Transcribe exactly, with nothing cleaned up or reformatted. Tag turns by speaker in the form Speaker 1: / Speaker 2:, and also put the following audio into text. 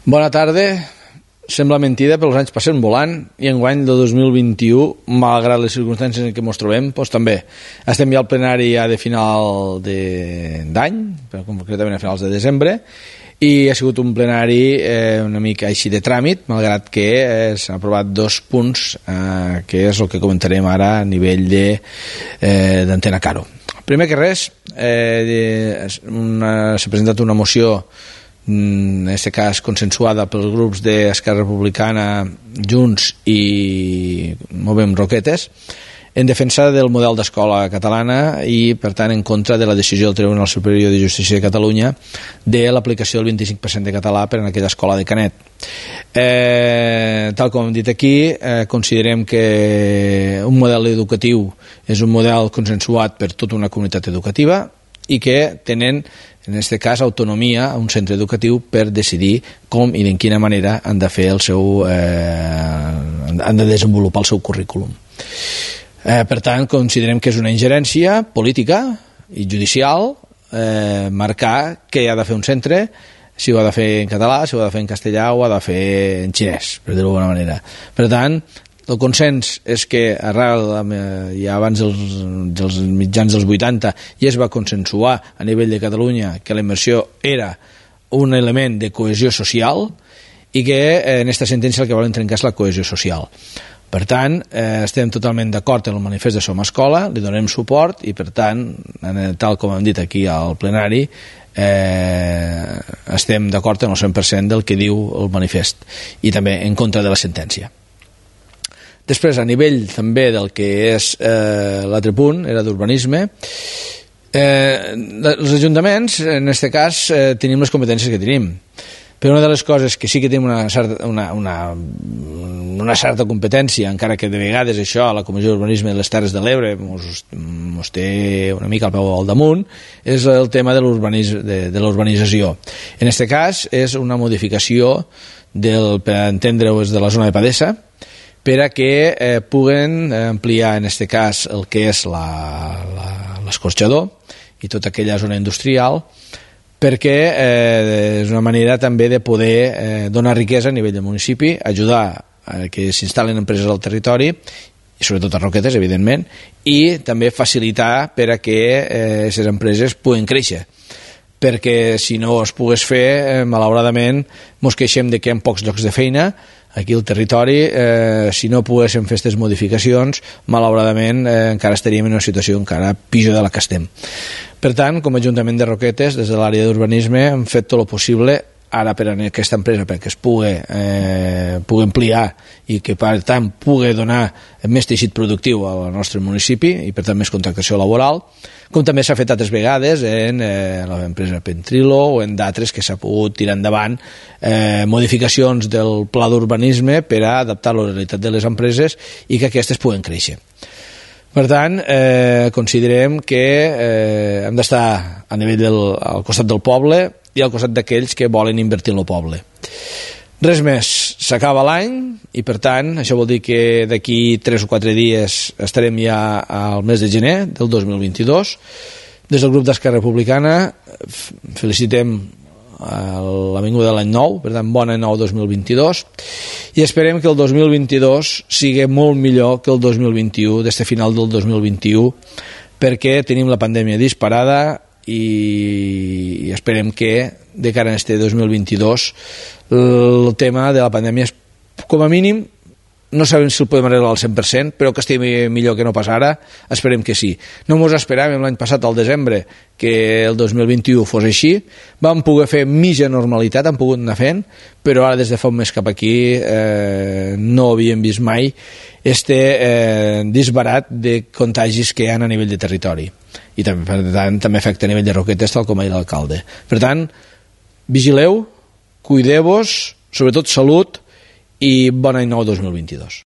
Speaker 1: Bona tarda. Sembla mentida, però els anys passen volant i enguany de dos mil vint-i-u, malgrat les circumstàncies en què ens trobem, doncs també estem ja al plenari ja de final d'any, concretament a finals de desembre, i ha sigut un plenari eh, una mica així de tràmit, malgrat que eh, s'han aprovat dos punts, eh, que és el que comentarem ara a nivell d'Antena eh, Caro. Primer que res, eh, s'ha presentat una moció, en aquest cas consensuada pels grups d'Esquerra Republicana, Junts i Movem Roquetes, en defensa del model d'escola catalana i, per tant, en contra de la decisió del Tribunal Superior de Justícia de Catalunya de l'aplicació del vint-i-cinc per cent de català per en aquella escola de Canet. Eh, tal com hem dit aquí, eh, considerem que un model educatiu és un model consensuat per tota una comunitat educativa i que tenen, en aquest cas, autonomia a un centre educatiu per decidir com i de quina manera han de fer el seu eh, han de desenvolupar el seu currículum. Eh, per tant, considerem que és una ingerència política i judicial eh, marcar què ha de fer un centre, si ho ha de fer en català, si ho ha de fer en castellà o ha de fer en xinès, per dir-ho d'alguna manera. Per tant, el consens és que arrel, ja abans dels, dels mitjans dels vuitanta, ja es va consensuar a nivell de Catalunya que la immersió era un element de cohesió social i que en aquesta sentència el que volen trencar és la cohesió social. Per tant, eh, estem totalment d'acord amb el manifest de Som Escola, li donem suport i, per tant, tal com hem dit aquí al plenari, eh, estem d'acord amb el cent per cent del que diu el manifest i també en contra de la sentència. Després, a nivell també del que és eh, l'altre punt, era d'urbanisme, eh, els ajuntaments, en aquest cas, eh, tenim les competències que tenim. Però una de les coses que sí que tenim una certa, una, una, una certa competència, encara que de vegades això a la Comissió d'Urbanisme de les Terres de l'Ebre mos té una mica al peu al damunt, és el tema de l'urbanització. En aquest cas és una modificació del, per entendre-ho, de la zona de Padessa, per a que eh, puguen ampliar en aquest cas el que és l'escorxador i tota aquella zona industrial, perquè eh, és una manera també de poder eh, donar riquesa a nivell del municipi, ajudar a que s'instal·len empreses al territori, i sobretot a Roquetes, evidentment, i també facilitar per a que aquestes eh, empreses puguen créixer, perquè si no es pogués fer, eh, malauradament, mos queixem de que hi ha pocs llocs de feina aquí al territori. Eh, si no poguéssim fer aquestes modificacions, malauradament eh, encara estaríem en una situació encara pitjor de la que estem. Per tant, com a Ajuntament de Roquetes, des de l'àrea d'urbanisme, hem fet tot el possible ara per a aquesta empresa perquè es pugui, eh, pugui ampliar i que per tant pugui donar més teixit productiu al nostre municipi i per tant més contractació laboral, com també s'ha fet altres vegades en eh, l'empresa Pentrilo o en d'altres que s'ha pogut tirar endavant eh, modificacions del pla d'urbanisme per a adaptar la realitat de les empreses i que aquestes puguen créixer. Per tant, eh, considerem que eh, hem d'estar a nivell del, al costat del poble i al costat d'aquells que volen invertir en el poble. Res més, s'acaba l'any i per tant això vol dir que d'aquí tres o quatre dies estarem ja al mes de gener del dos mil vint-i-dos. Des del grup d'Esquerra Republicana felicitem l'avinguda de l'any nou, per tant bon any nou dos mil vint-i-dos, i esperem que el dos mil vint-i-dos sigui molt millor que el dos mil vint-i-u, des de final del dos mil vint-i-u, perquè tenim la pandèmia disparada i esperem que de cara a este dos mil vint-i-dos el tema de la pandèmia és, com a mínim, no sabem si el podem arreglar al cent per cent, però que estigui millor que no pas ara, esperem que sí. No mos esperàvem l'any passat, al desembre, que el dos mil vint-i-u fos així. Vam poder fer mitja normalitat, hem pogut anar fent, però ara des de fa un mes cap aquí eh, no havíem vist mai este eh, disbarat de contagis que hi ha a nivell de territori. I també, per tant, també afecta a nivell de Roquetes, tal com ha dit l'alcalde. Per tant, vigileu, cuideu-vos, sobretot salut, i bon any nou dos mil vint-i-dos.